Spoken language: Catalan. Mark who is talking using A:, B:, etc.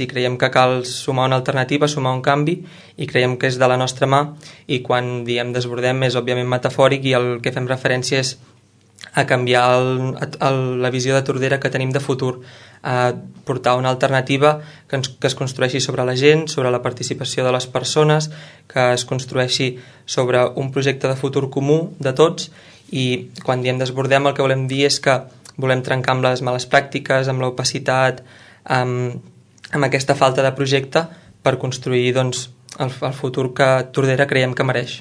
A: i creiem que cal sumar una alternativa, sumar un canvi, i creiem que és de la nostra mà, i quan diem desbordem és òbviament metafòric, i el que fem referència és a canviar la visió de Tordera que tenim de futur, a portar una alternativa que es construeixi sobre la gent, sobre la participació de les persones, que es construeixi sobre un projecte de futur comú de tots. I quan diem desbordem el que volem dir és que volem trencar amb les males pràctiques, amb l'opacitat, amb aquesta falta de projecte, per construir el futur que Tordera creiem que mereix.